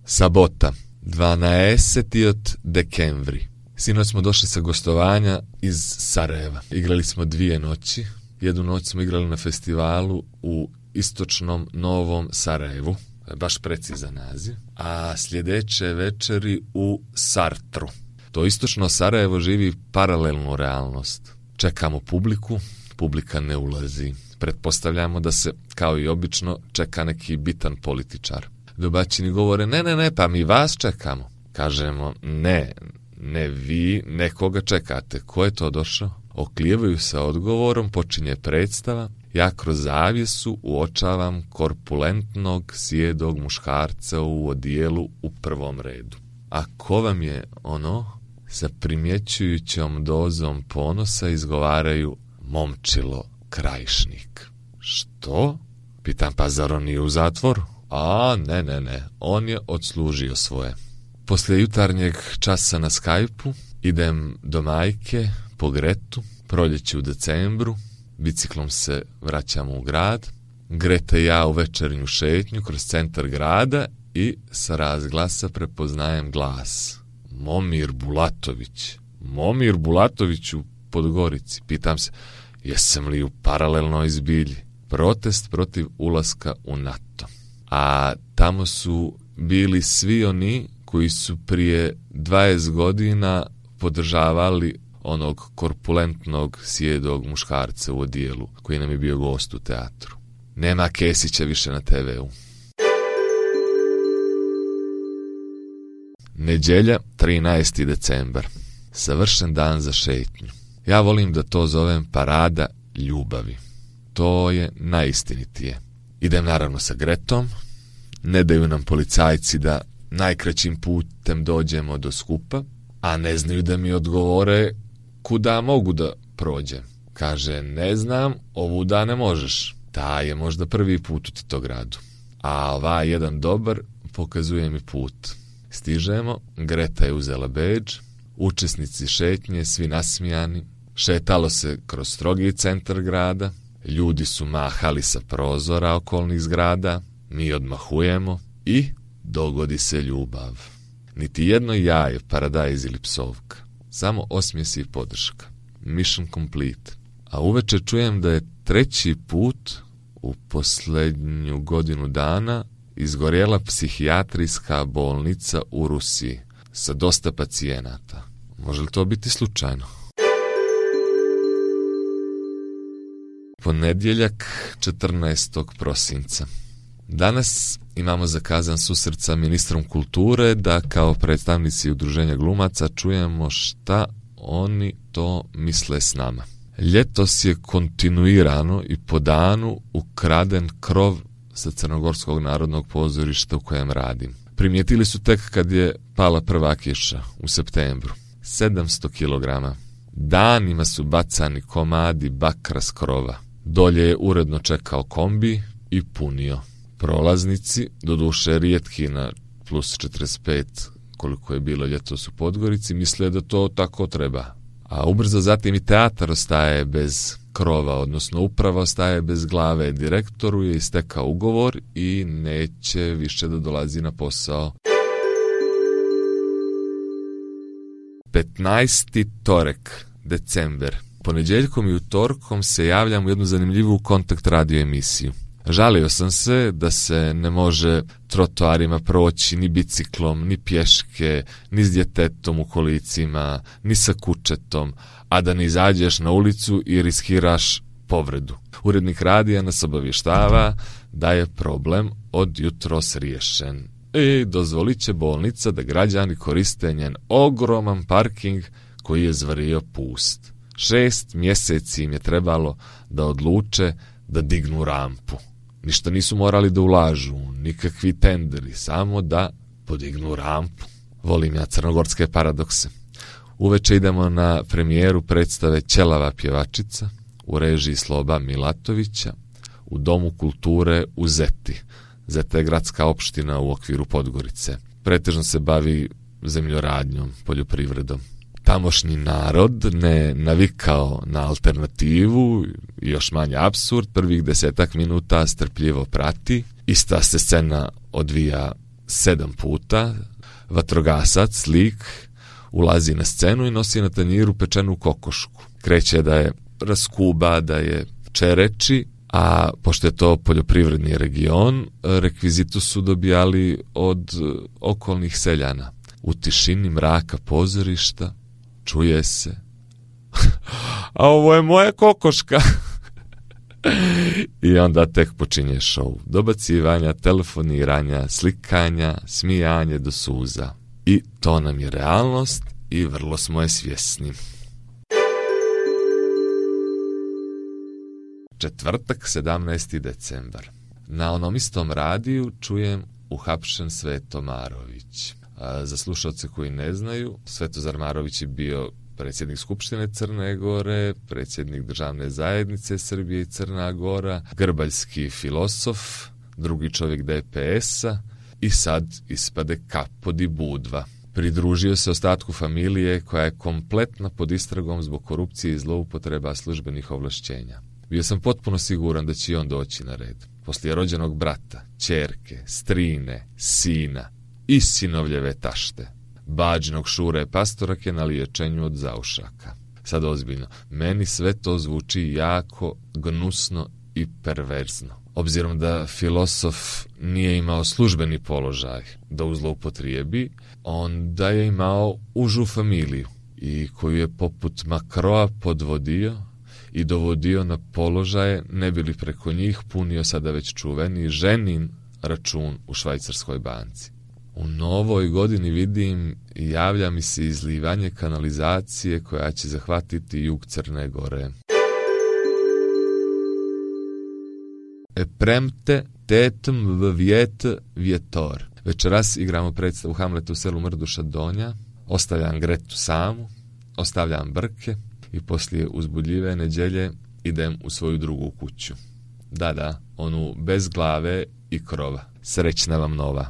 Sabota, 12. dekembri. Sinoć smo došli sa gostovanja iz Sarajeva. Igrali smo 2 noći. Jednu noć smo igrali na festivalu u istočnom Novom Sarajevu. Baš precizan naziv. A sljedeće večeri u Sartru. To istočno Sarajevo živi paralelnu realnost. Čekamo publiku, publika ne ulazi. Pretpostavljamo da se, kao i obično, čeka neki bitan političar. Domaćini govore, ne, pa mi vas čekamo. Kažemo, ne vi, nekoga čekate. Ko je to došao? Oklijevaju sa odgovorom, počinje predstava. Ja kroz zavjesu uočavam korpulentnog, sjedog muškarca u odijelu u prvom redu. A ko vam je ono? Sa primjećujućom dozom ponosa izgovaraju Momčilo Krajišnik. Što? Pitam, pa zar on nije u zatvoru? A, ne, on je odslužio svoje. Poslije jutarnjeg časa na Skype-u idem do majke po Gretu, proljeće u decembru, biciklom se vraćamo u grad. Greta i ja u večernju šetnju kroz centar grada i sa razglasa prepoznajem glas. Momir Bulatović u Podgorici. Pitam se, jesam li u paralelnoj zbilji? Protest protiv ulaska u NATO. A tamo su bili svi oni koji su prije 20 godina podržavali onog korpulentnog, sjedog muškarca u odijelu koji nam je bio gost u teatru. Nema Kesića više na TV-u. Nedjelja, 13. decembar. Savršen dan za šetnju. Ja volim da to zovem parada ljubavi. To je najistinitije. Idem naravno sa Gretom. Ne daju nam policajci da najkraćim putem dođemo do skupa, a ne znaju da mi odgovore kuda mogu da prođem. Kaže, ne znam, ovuda ne možeš. Ta je možda prvi put u Titogradu. A ovaj jedan dobar pokazuje mi put. Stižemo, Greta je uzela bedž, učesnici šetnje, svi nasmijani. Šetalo se kroz strogi centar grada, ljudi su mahali sa prozora okolnih zgrada, mi odmahujemo i dogodi se ljubav. Niti jedno jaje, paradajz ili psovka, samo osmijesi i podrška. Mission complete. A uveče čujem da je 3. put u posljednju godinu dana izgorjela psihijatrijska bolnica u Rusiji sa dosta pacijenata. Može li to biti slučajno? Ponedjeljak, 14. prosinca. Danas imamo zakazan susret sa ministrom kulture da kao predstavnici udruženja glumaca čujemo šta oni to misle s nama. Ljetos je kontinuirano i po danu ukraden krov sa Crnogorskog narodnog pozorišta u kojem radim. Primijetili su tek kad je pala prva kiša u septembru. 700 kg. Danima su bacani komadi bakra s krova. Dolje je uredno čekao kombi i punio. Prolaznici, doduše rijetki na plus 45 koliko je bilo ljetos u Podgorici, misle da to tako treba. A ubrzo zatim i teatar ostaje bez krova, odnosno uprava ostaje bez glave. Direktoru je istekao ugovor i neće više da dolazi na posao. 15. torek, december. Ponedjeljkom i utorkom se javljam u jednu zanimljivu kontakt radio emisiju. Žalio sam se da se ne može trotoarima proći ni biciklom, ni pješke, ni s djetetom u kolicima, ni sa kućetom, a da ne izađeš na ulicu i riskiraš povredu. Urednik radija nas obavještava da je problem od jutros riješen. Dozvolit će bolnica da građani koriste njen ogroman parking koji je zvario pust. 6 mjeseci im je trebalo da odluče da dignu rampu. Ništa nisu morali da ulažu, nikakvi tenderi, samo da podignu rampu. Volim ja crnogorske paradokse. Uveče idemo na premijeru predstave Ćelava pjevačica u režiji Sloba Milatovića u Domu kulture u Zeti. Zeta je gradska opština u okviru Podgorice. Pretežno se bavi zemljoradnjom, poljoprivredom. Tamošnji narod ne navikao na alternativu i još manje apsurd, prvih 10 minuta strpljivo prati. Ista se scena odvija 7 puta, vatrogasac, lik, ulazi na scenu i nosi na tanjiru pečenu kokošku. Kreće da je raskuba, da je čereči, a pošto je to poljoprivredni region, rekvizitu su dobijali od okolnih seljana. U tišini mraka pozorišta čuje se a ovo je moja kokoška. I onda tek počinje show. Dobacivanja, telefoniranja, slikanja, smijanje do suza. I to nam je realnost i vrlo smo je svjesni. Četvrtak, 17. decembar. Na onom istom radiju čujem uhapšen Sveto Marović. Za slušalce koji ne znaju, Svetozar Marović je bio predsjednik Skupštine Crne Gore, predsjednik Državne zajednice Srbije i Crna Gora, grbaljski filosof, drugi čovjek DPS-a i sad ispade Kapo di Budva. Pridružio se ostatku familije koja je kompletna pod istragom zbog korupcije i zloupotreba službenih ovlašćenja. Bio sam potpuno siguran da će i on doći na red. Poslije rođenog brata, ćerke, strine, sina i sinovljeve tašte. Bađinog Šure Pastorake na liječenju od zaušaka. Sad ozbiljno, meni sve to zvuči jako gnusno i perverzno. Obzirom da filosof nije imao službeni položaj da u zloupotrijebi, onda je imao užu familiju i koju je poput Makroa podvodio i dovodio na položaje, ne bi li preko njih punio sada već čuveni ženin račun u švajcarskoj banci. U novoj godini vidim i javlja mi se izlivanje kanalizacije koja će zahvatiti jug Crne Gore. Premte tetem vjet vjetor. Večeras igramo predstavu Hamleta u selu Mrduša Donja. Ostavljam Gretu samu, ostavljam Brke i poslije uzbudljive nedjelje idem u svoju drugu kuću. Da, onu bez glave i krova. Srećna vam nova.